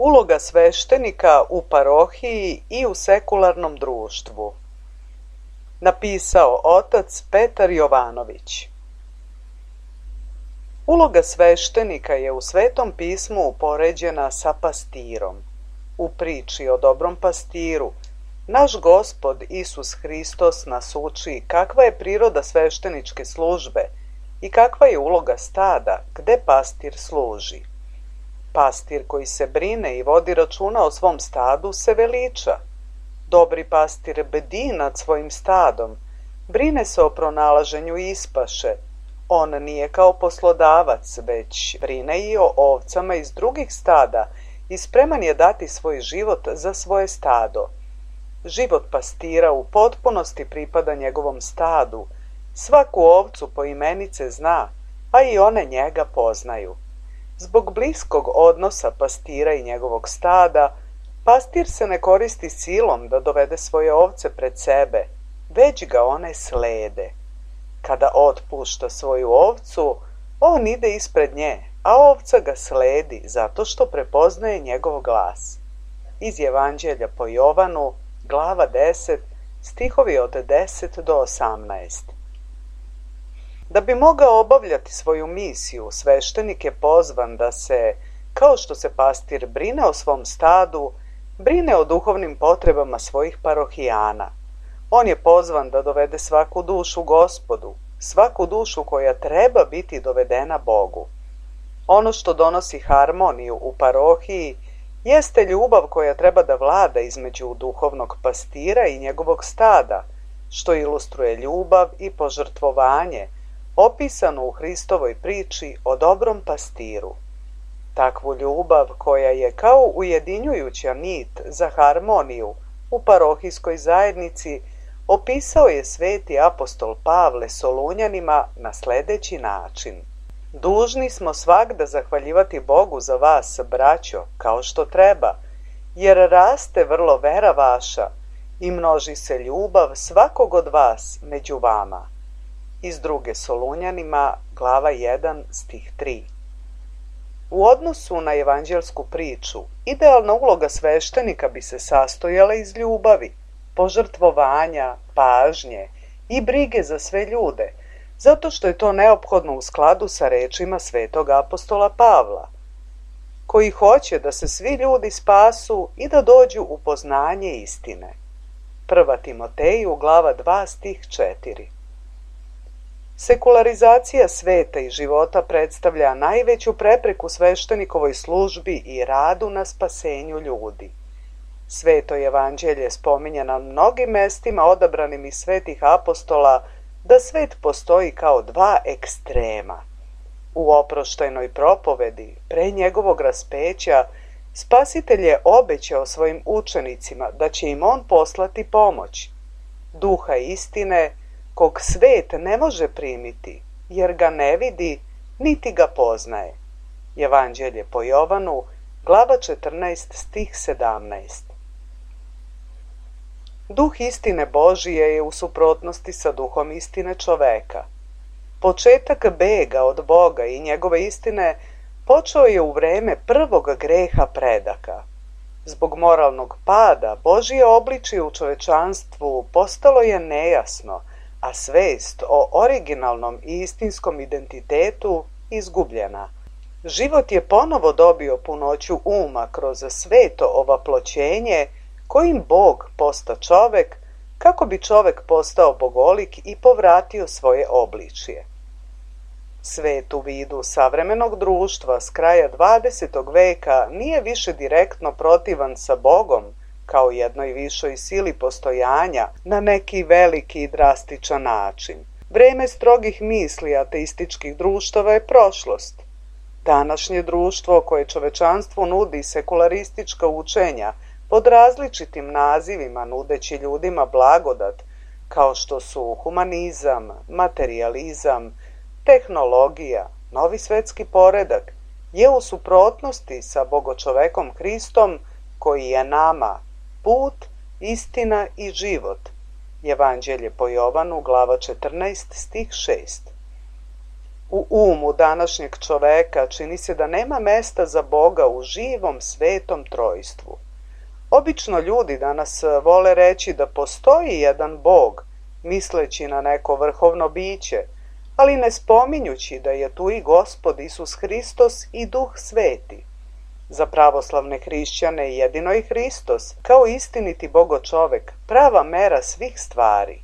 Uloga sveštenika u parohiji i u sekularnom društvu. Napisao otac Petar Jovanović. Uloga sveštenika je u Svetom pismu upoređena sa pastirom. U priči o dobrom pastiru, naš Gospod Isus Hristos nas uči kakva je priroda svešteničke službe i kakva je uloga stada gde pastir služi. Pastir koji se brine i vodi računa o svom stadu se veliča. Dobri pastir bdi nad svojim stadom, brine se o pronalaženju ispaše. On nije kao poslodavac, već brine i o ovcama iz drugih stada i spreman je dati svoj život za svoje stado. Život pastira u potpunosti pripada njegovom stadu. Svaku ovcu poimenice zna, a i one njega poznaju. Zbog bliskog odnosa pastira i njegovog stada, pastir se ne koristi silom da dovede svoje ovce pred sebe, već ga one slede. Kada otpušta svoju ovcu, on ide ispred nje, a ovca ga sledi zato što prepoznaje njegov glas. Iz Evanđelja po Jovanu, glava 10, stihovi od 10 do 18. Da bi mogao obavljati svoju misiju, sveštenik je pozvan da se, kao što se pastir brine o svom stadu, brine o duhovnim potrebama svojih parohijana. On je pozvan da dovede svaku dušu Gospodu, svaku dušu koja treba biti dovedena Bogu. Ono što donosi harmoniju u parohiji jeste ljubav koja treba da vlada između duhovnog pastira i njegovog stada, što ilustruje ljubav i požrtvovanje, opisano u Hristovoj priči o dobrom pastiru. Takvu ljubav koja je kao ujedinjujuća nit za harmoniju u parohijskoj zajednici opisao je sveti apostol Pavle Solunjanima na sledeći način. Dužni smo svagda zahvaljivati Bogu za vas, braćo, kao što treba, jer raste vrlo vera vaša i množi se ljubav svakog od vas među vama. Iz druge Solunjanima, glava 1, stih 3. U odnosu na evanđelsku priču, idealna uloga sveštenika bi se sastojala iz ljubavi, požrtvovanja, pažnje i brige za sve ljude, zato što je to neophodno u skladu sa rečima svetog apostola Pavla, koji hoće da se svi ljudi spasu i da dođu u poznanje istine. 1. Timoteju, glava 2, stih 4. Sekularizacija sveta i života predstavlja najveću prepreku sveštenikovoj službi i radu na spasenju ljudi. Sveto evanđelje spominje na mnogim mestima odabranim iz svetih apostola da svet postoji kao dva ekstrema. U oproštajnoj propovedi, pre njegovog raspeća, Spasitelj je obećao svojim učenicima da će im on poslati pomoć, duha istine, kog svet ne može primiti, jer ga ne vidi, niti ga poznaje. Evanđelje po Jovanu, glava 14, stih 17. Duh istine Božije je u suprotnosti sa duhom istine čoveka. Početak bega od Boga i njegove istine počeo je u vreme prvog greha predaka. Zbog moralnog pada, Božje obličje u čovečanstvu postalo je nejasno, a svest o originalnom i istinskom identitetu izgubljena. Život je ponovo dobio punoću uma kroz sveto ovaploćenje, kojim Bog posta čovek, kako bi čovek postao bogolik i povratio svoje obličje. Svet u vidu savremenog društva s kraja 20. veka nije više direktno protivan sa Bogom, kao jednoj višoj sili postojanja, na neki veliki i drastičan način. Vreme strogih misli ateističkih društava je prošlost. Današnje društvo koje čovečanstvu nudi sekularistička učenja pod različitim nazivima nudeći ljudima blagodat, kao što su humanizam, materijalizam, tehnologija, novi svetski poredak, je u suprotnosti sa bogočovekom Hristom koji je nama put, istina i život. Evanđelje po Jovanu, glava 14, stih 6. U umu današnjeg čoveka čini se da nema mesta za Boga u živom svetom trojstvu. Obično ljudi danas vole reći da postoji jedan Bog, misleći na neko vrhovno biće, ali ne spominjući da je tu i Gospod Isus Hristos i Duh Sveti. Za pravoslavne hrišćane jedino je Hristos, kao istiniti Bogočovek, prava mera svih stvari.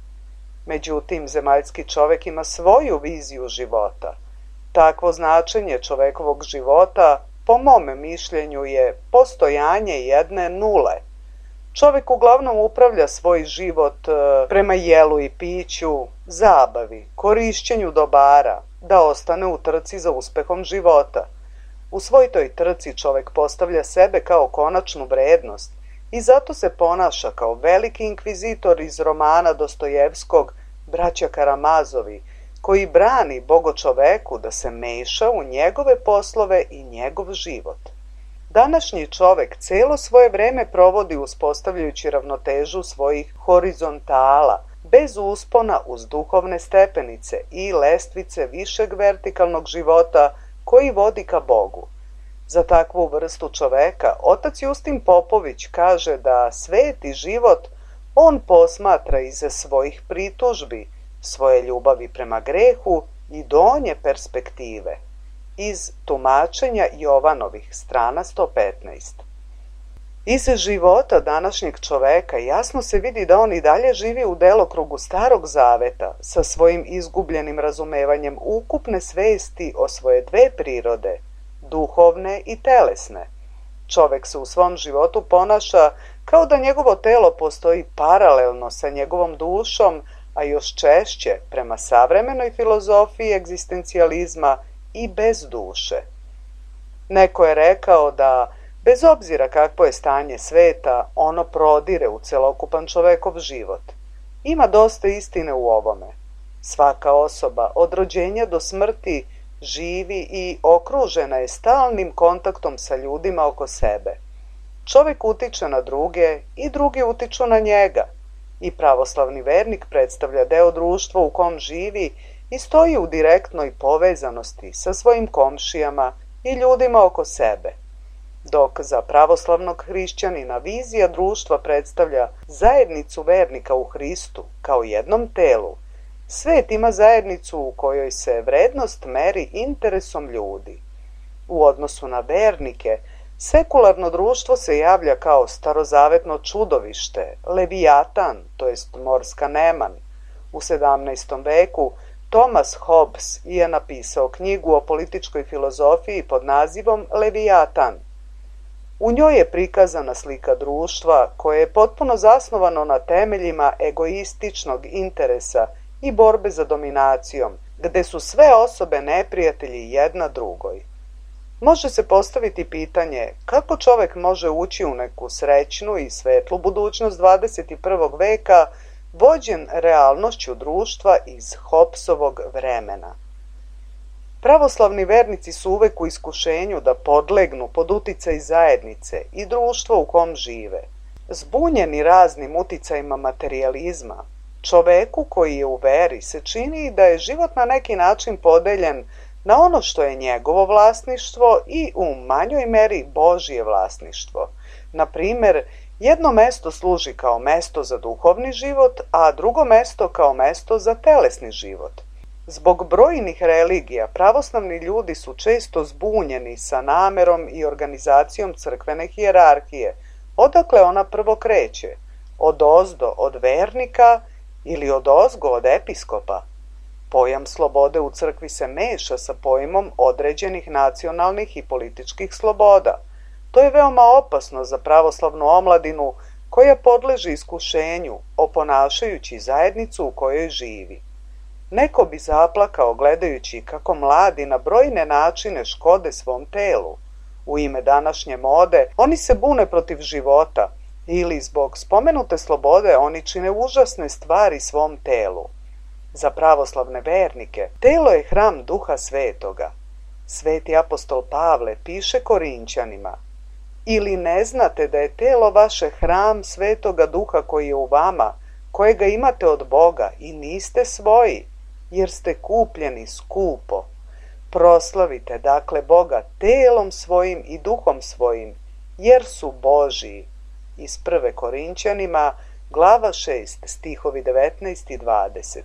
Međutim, zemaljski čovek ima svoju viziju života. Takvo značenje čovekovog života, po mome mišljenju, je postojanje jedne nule. Čovek uglavnom upravlja svoj život prema jelu i piću, zabavi, korišćenju dobara, da ostane u trci za uspehom života. U svoj toj trci čovek postavlja sebe kao konačnu vrednost i zato se ponaša kao veliki inkvizitor iz romana Dostojevskog Braća Karamazovi, koji brani Bogočoveku da se meša u njegove poslove i njegov život. Današnji čovek celo svoje vreme provodi uspostavljajući ravnotežu svojih horizontala, bez uspona uz duhovne stepenice i lestvice višeg vertikalnog života koji vodi ka Bogu. Za takvu vrstu čoveka otac Justin Popović kaže da sveti život on posmatra iza svojih pritužbi, svoje ljubavi prema grehu i donje perspektive. Iz tumačenja Jovanovih, strana 115. Iz života današnjeg čoveka jasno se vidi da on i dalje živi u delokrugu Starog Zaveta sa svojim izgubljenim razumevanjem ukupne svesti o svoje dve prirode, duhovne i telesne. Čovek se u svom životu ponaša kao da njegovo telo postoji paralelno sa njegovom dušom, a još češće prema savremenoj filozofiji egzistencijalizma i bez duše. Neko je rekao da, bez obzira kakvo je stanje sveta, ono prodire u celokupan čovekov život. Ima dosta istine u ovome. Svaka osoba od rođenja do smrti živi i okružena je stalnim kontaktom sa ljudima oko sebe. Čovek utiče na druge i drugi utiču na njega. I pravoslavni vernik predstavlja deo društva u kom živi i stoji u direktnoj povezanosti sa svojim komšijama i ljudima oko sebe. Dok za pravoslavnog hrišćanina vizija društva predstavlja zajednicu vernika u Hristu kao jednom telu, svet ima zajednicu u kojoj se vrednost meri interesom ljudi. U odnosu na vernike, sekularno društvo se javlja kao starozavetno čudovište, Levijatan, to jest morska neman. U 17. veku Thomas Hobbes je napisao knjigu o političkoj filozofiji pod nazivom Levijatan. U njoj je prikazana slika društva koje je potpuno zasnovano na temeljima egoističnog interesa i borbe za dominacijom, gde su sve osobe neprijatelji jedna drugoj. Može se postaviti pitanje kako čovek može ući u neku srećnu i svetlu budućnost 21. veka vođen realnošću društva iz Hobbesovog vremena. Pravoslavni vernici su uvek u iskušenju da podlegnu pod uticaj zajednice i društva u kom žive. Zbunjeni raznim uticajima materijalizma, čoveku koji je u veri se čini da je život na neki način podeljen na ono što je njegovo vlasništvo i u manjoj meri Božje vlasništvo. Na primer, jedno mesto služi kao mesto za duhovni život, a drugo mesto kao mesto za telesni život. Zbog brojnih religija, pravoslavni ljudi su često zbunjeni sa namerom i organizacijom crkvene hijerarhije, odakle ona prvo kreće, odozdo od vernika ili odozgo od episkopa. Pojam slobode u crkvi se meša sa pojmom određenih nacionalnih i političkih sloboda. To je veoma opasno za pravoslavnu omladinu koja podleže iskušenju, oponašajući zajednicu u kojoj živi. Neko bi zaplakao gledajući kako mladi na brojne načine škode svom telu. U ime današnje mode oni se bune protiv života ili zbog spomenute slobode oni čine užasne stvari svom telu. Za pravoslavne vernike telo je hram Duha Svetoga. Sveti apostol Pavle piše Korinćanima: ili ne znate da je telo vaše hram Svetoga Duha koji je u vama, kojega imate od Boga i niste svoji, jer ste kupljeni skupo. Proslavite dakle Boga telom svojim i duhom svojim, jer su Božiji. Iz 1. Korinćanima, glava 6, stihovi 19 i 20.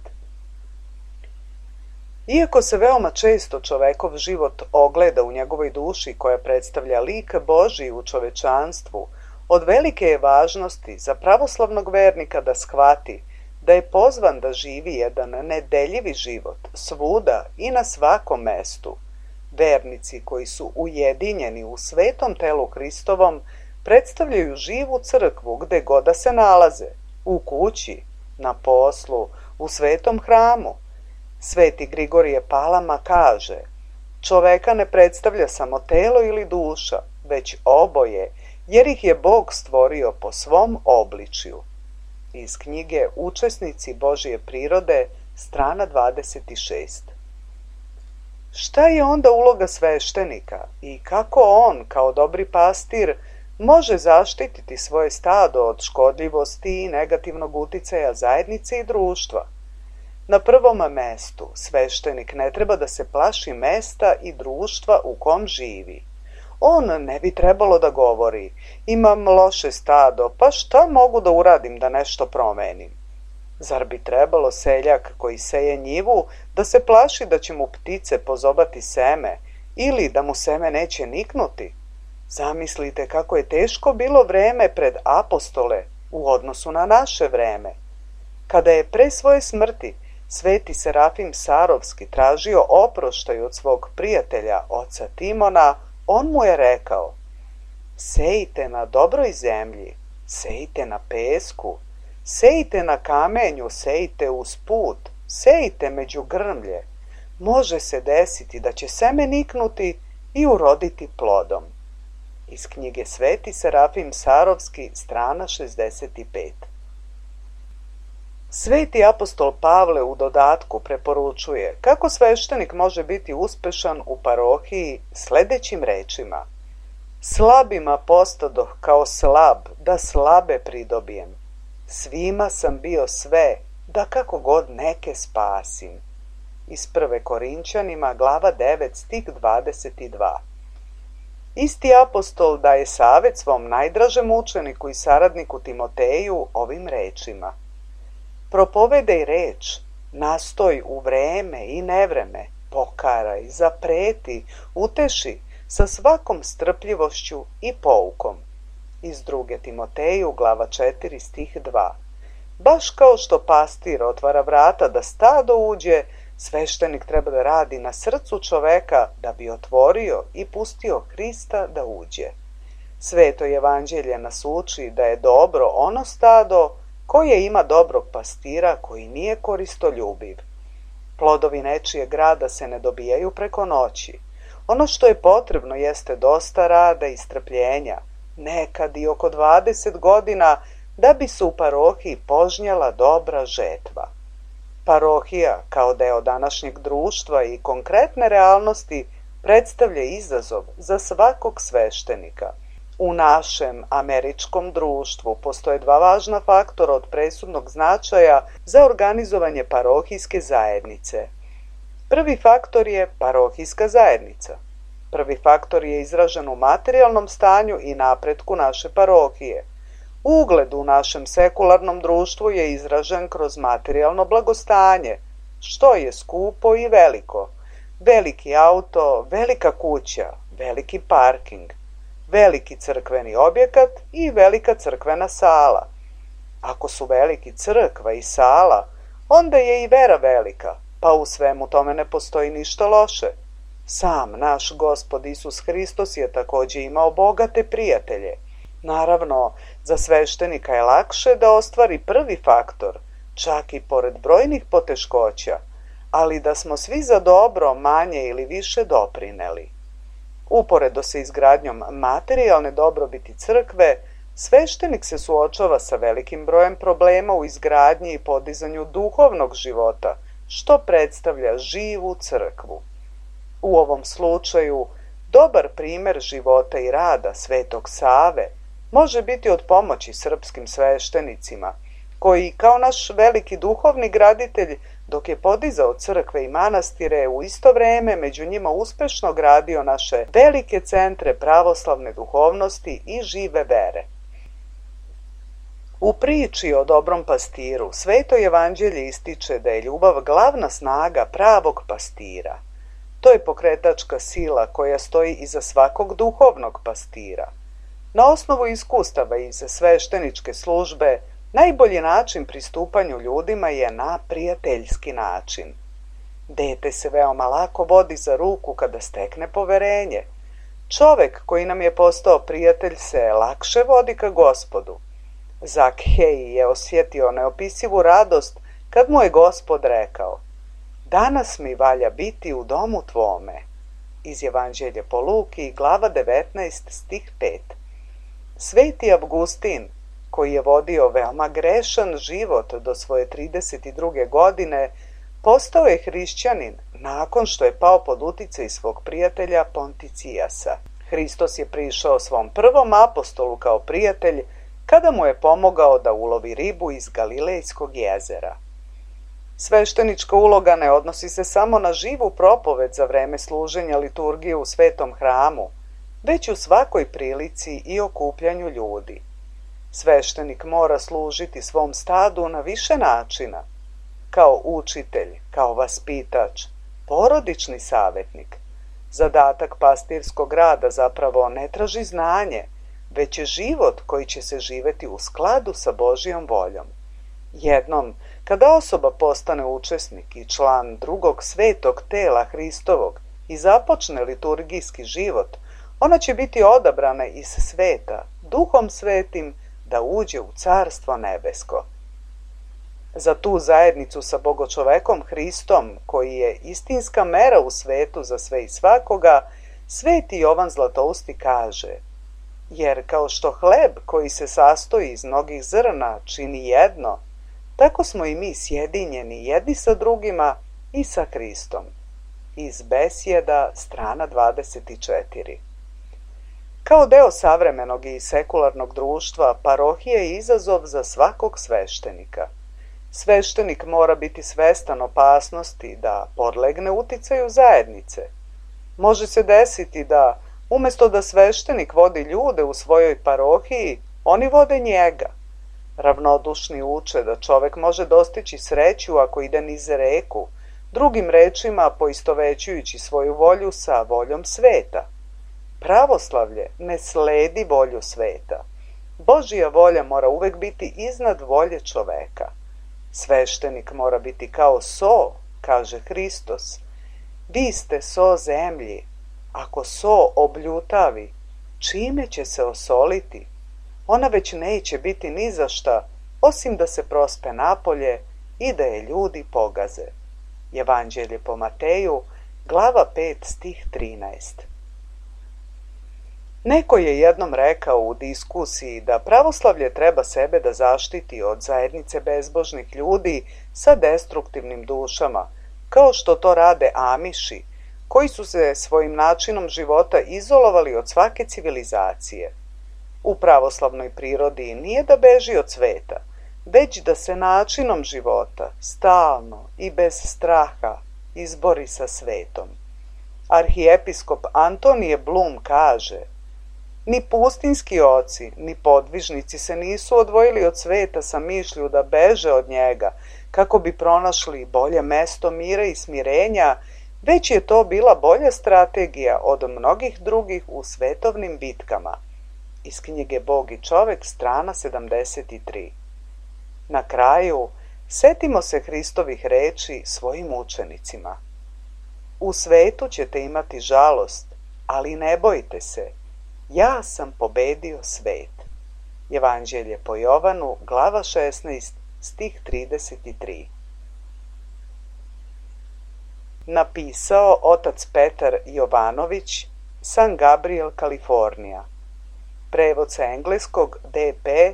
Iako se veoma često čovekov život ogleda u njegovoj duši koja predstavlja lik Božiji u čovečanstvu, od velike je važnosti za pravoslavnog vernika da shvati da je pozvan da živi jedan nedeljivi život svuda i na svakom mestu. Vernici koji su ujedinjeni u svetom telu Hristovom predstavljaju živu crkvu gde god da se nalaze, u kući, na poslu, u svetom hramu. Sveti Grigorije Palama kaže: čoveka ne predstavlja samo telo ili duša, već oboje, jer ih je Bog stvorio po svom obličju. Iz knjige Učesnici Božije prirode, strana 26. Šta je onda uloga sveštenika i kako on, kao dobri pastir, može zaštititi svoje stado od škodljivosti i negativnog uticaja zajednice i društva? Na prvom mestu, sveštenik ne treba da se plaši mesta i društva u kom živi. On ne bi trebalo da govori: imam loše stado, pa šta mogu da uradim da nešto promenim? Zar bi trebalo seljak koji seje njivu da se plaši da će mu ptice pozobati seme ili da mu seme neće niknuti? Zamislite kako je teško bilo vreme pred apostole u odnosu na naše vreme. Kada je pre svoje smrti sveti Serafim Sarovski tražio oproštaj od svog prijatelja, oca Timona, on mu je rekao: sejte na dobroj zemlji, sejte na pesku, sejte na kamenju, sejte uz put, sejte među grmlje. Može se desiti da će seme niknuti i uroditi plodom. Iz knjige Sveti Serafim Sarovski, strana 65. Sveti apostol Pavle u dodatku preporučuje kako sveštenik može biti uspešan u parohiji sledećim rečima: slabima postadoh kao slab, da slabe pridobijem. Svima sam bio sve, da kako god neke spasim. Iz 1. Korinćanima, glava 9, stih 22. Isti apostol daje savet svom najdražem učeniku i saradniku Timoteju ovim rečima: propovedaj reč, nastoj u vreme i nevreme, pokaraj, zapreti, uteši sa svakom strpljivošću i poukom. Iz 2. Timoteju, glava 4, stih 2. Baš kao što pastir otvara vrata da stado uđe, sveštenik treba da radi na srcu čoveka da bi otvorio i pustio Hrista da uđe. Sveto evanđelje nas uči da je dobro ono stado koje ima dobrog pastira koji nije koristoljubiv. Plodovi nečijeg rada se ne dobijaju preko noći. Ono što je potrebno jeste dosta rada i strpljenja, nekad i oko 20 godina, da bi se u parohiji požnjela dobra žetva. Parohija, kao deo današnjeg društva i konkretne realnosti, predstavlja izazov za svakog sveštenika. U našem američkom društvu postoje dva važna faktora od presudnog značaja za organizovanje parohijske zajednice. Prvi faktor je parohijska zajednica. Prvi faktor je izražen u materijalnom stanju i napretku naše parohije. Ugled u našem sekularnom društvu je izražen kroz materijalno blagostanje, što je skupo i veliko. Veliki auto, velika kuća, veliki parking, veliki crkveni objekat i velika crkvena sala. Ako su veliki crkva i sala, onda je i vera velika, pa u svemu tome ne postoji ništa loše. Sam naš Gospod Isus Hristos je takođe imao bogate prijatelje. Naravno, za sveštenika je lakše da ostvari prvi faktor, čak i pored brojnih poteškoća, ali da smo svi za dobro manje ili više doprineli. Uporedo sa izgradnjom materijalne dobrobiti crkve, sveštenik se suočava sa velikim brojem problema u izgradnji i podizanju duhovnog života, što predstavlja živu crkvu. U ovom slučaju, dobar primer života i rada Svetog Save može biti od pomoći srpskim sveštenicima, koji kao naš veliki duhovni graditelj dok je podizao crkve i manastire, u isto vrijeme među njima uspešno gradio naše velike centre pravoslavne duhovnosti i žive vere. U priči o dobrom pastiru Sveto evanđelje ističe da je ljubav glavna snaga pravog pastira. To je pokretačka sila koja stoji iza svakog duhovnog pastira. Na osnovu iskustava iz svešteničke službe, najbolji način pristupanju ljudima je na prijateljski način. Dete se veoma lako vodi za ruku kada stekne poverenje. Čovek koji nam je postao prijatelj se lakše vodi ka Gospodu. Zakhej je osjetio neopisivu radost kad mu je Gospod rekao: "Danas mi valja biti u domu tvome." Iz Evanđelja po Luki, glava 19, stih 5. Sveti Avgustin, koji je vodio veoma grešan život do svoje 32. godine, postao je hrišćanin nakon što je pao pod uticaj svog prijatelja Ponticijasa. Hristos je prišao svom prvom apostolu kao prijatelj kada mu je pomogao da ulovi ribu iz Galilejskog jezera. Sveštenička uloga ne odnosi se samo na živu propoved za vreme služenja liturgije u svetom hramu, već u svakoj prilici i okupljanju ljudi. Sveštenik mora služiti svom stadu na više načina, kao učitelj, kao vaspitač, porodični savjetnik. Zadatak pastirskog rada zapravo ne traži znanje, već je život koji će se živeti u skladu sa Božjom voljom. Jednom, kada osoba postane učesnik i član drugog svetog tela Hristovog i započne liturgijski život, ona će biti odabrana iz sveta, Duhom Svetim, da uđe u Carstvo nebesko. Za tu zajednicu sa Bogočovekom Hristom, koji je istinska mera u svetu za sve i svakoga, Sveti Jovan Zlatousti kaže: "Jer kao što hleb koji se sastoji iz mnogih zrna čini jedno, tako smo i mi sjedinjeni jedni sa drugima i sa Hristom." Iz Besjeda, strana 24. Kao deo savremenog i sekularnog društva, parohija je izazov za svakog sveštenika. Sveštenik mora biti svestan opasnosti da podlegne uticaju zajednice. Može se desiti da, umjesto da sveštenik vodi ljude u svojoj parohiji, oni vode njega. Ravnodušni uče da čovek može dostići sreću ako ide niz reku, drugim rečima poistovećujući svoju volju sa voljom sveta. Pravoslavlje ne sledi volju sveta. Božja volja mora uvek biti iznad volje čoveka. Sveštenik mora biti kao so, kaže Hristos. Vi ste so zemlji. Ako so obljutavi, čime će se osoliti? Ona već neće biti ni za šta, osim da se prospe napolje i da je ljudi pogaze. Evanđelje po Mateju, glava 5, stih 13. Neko je jednom rekao u diskusiji da pravoslavlje treba sebe da zaštiti od zajednice bezbožnih ljudi sa destruktivnim dušama, kao što to rade Amiši, koji su se svojim načinom života izolovali od svake civilizacije. U pravoslavnoj prirodi nije da beži od sveta, već da se načinom života, stalno i bez straha, izbori sa svetom. Arhijepiskop Antonije Blum kaže: "Ni pustinski oci, ni podvižnici se nisu odvojili od sveta sa mišlju da beže od njega, kako bi pronašli bolje mesto mira i smirenja, već je to bila bolja strategija od mnogih drugih u svetovnim bitkama." Iz knjige Bog i čovek, strana 73. Na kraju, setimo se Hristovih reči svojim učenicima. U svetu ćete imati žalost, ali ne bojte se, ja sam pobedio svet. Evanđelje po Jovanu, glava 16, stih 33. Napisao otac Petar Jovanović, San Gabriel, Kalifornija. Prevod sa engleskog D.P.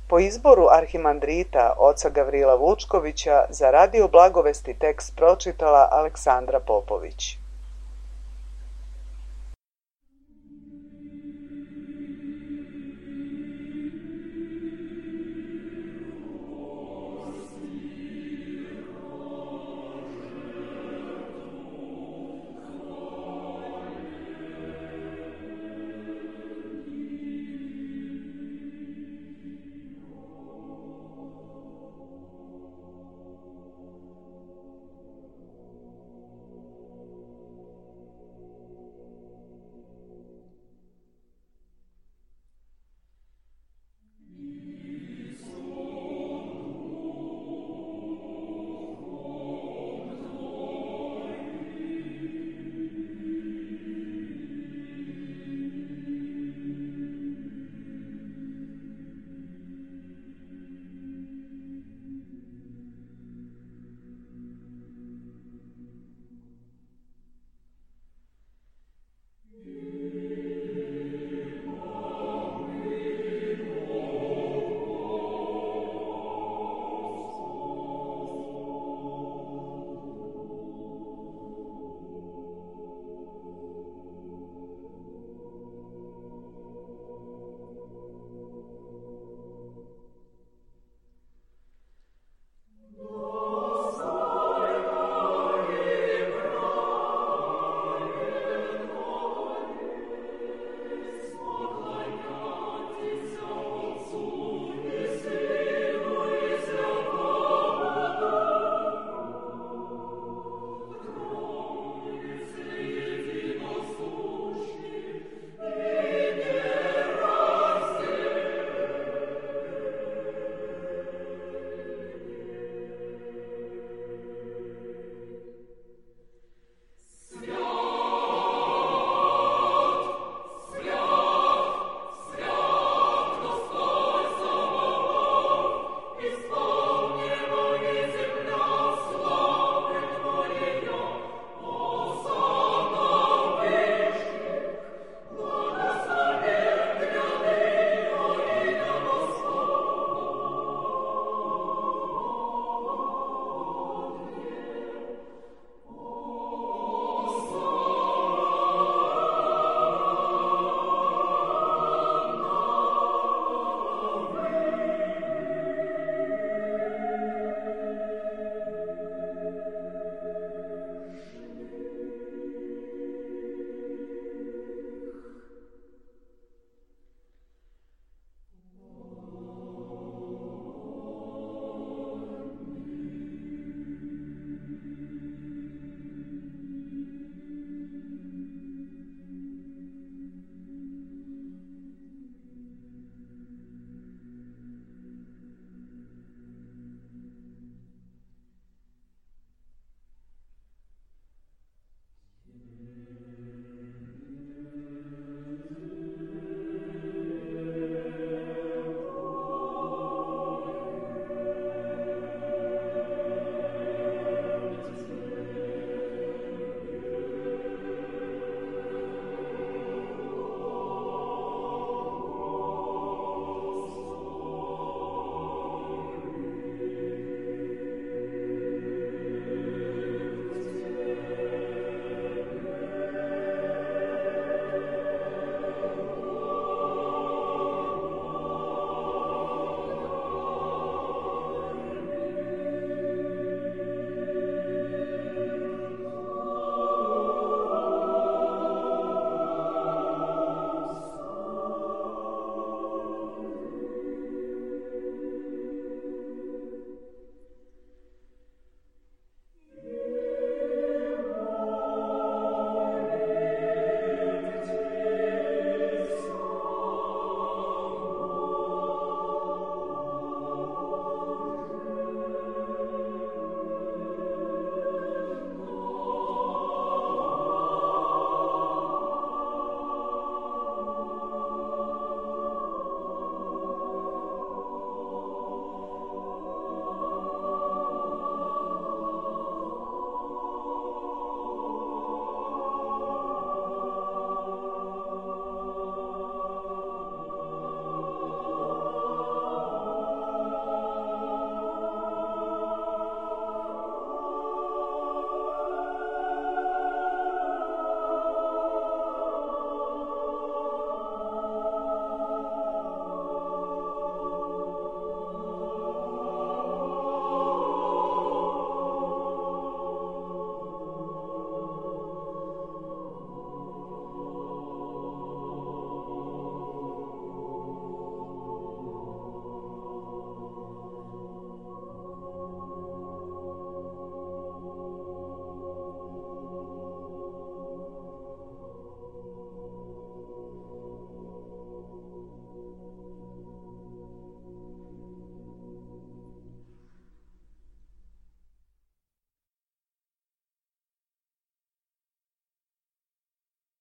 po izboru arhimandrita oca Gavrila Vučkovića za Radio Blagovesti tekst pročitala Aleksandra Popović.